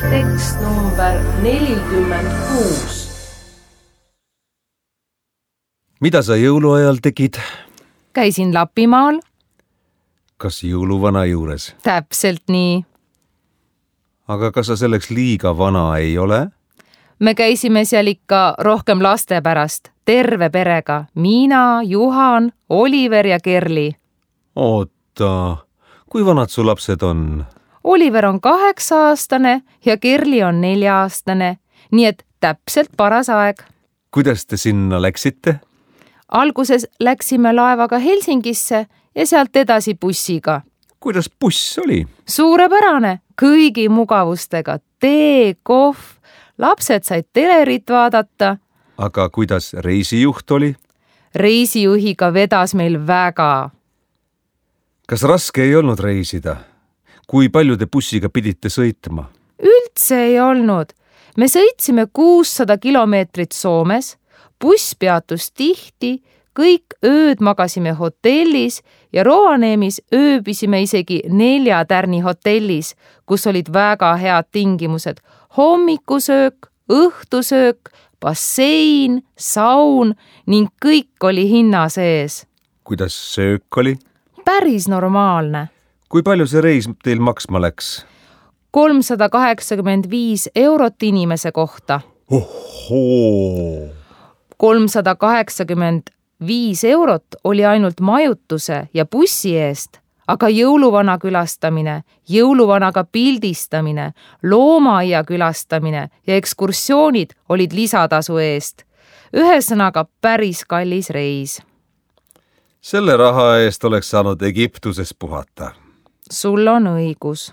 Tekst number 46. Mida sa jõuluajal tegid? Käisin Lapimaal. Kas jõuluvana juures? Täpselt nii. Aga kas sa selleks liiga vana ei ole? Me käisime seal ikka rohkem laste pärast, terve perega. Miina, Juhan, Oliver ja Kerli. Oota, kui vanad su lapsed on? Oliver on 8-aastane ja Kerli on 4-aastane, nii et täpselt paras aeg. Kuidas te sinna läksite? Alguses läksime laevaga Helsingisse ja sealt edasi bussiga. Kuidas buss oli? Suurepärane, kõigi mugavustega, tee, kohv, lapsed said telerit vaadata. Aga kuidas reisijuht oli? Reisijuhiga vedas meil väga. Kas raske ei olnud reisida? Kui palju te bussiga pidite sõitma? Üldse ei olnud. Me sõitsime 600 kilomeetrit Soomes, buss peatus tihti, kõik ööd magasime hotellis ja Rovaniemis ööbisime isegi 4 tärni hotellis, kus olid väga head tingimused. Hommikusöök, õhtusöök, bassein, saun ning kõik oli hinna sees. Kuidas söök oli? Päris normaalne. Kui palju see reis teil maksma läks? 385 eurot inimese kohta. Ohoo! 385 eurot oli ainult majutuse ja bussi eest, aga jõuluvana külastamine, jõuluvanaga pildistamine, loomaaia külastamine ja ekskursioonid olid lisatasu eest. Ühesõnaga päris kallis reis. Selle raha eest oleks saanud Egiptuses puhata. Sul on õigus.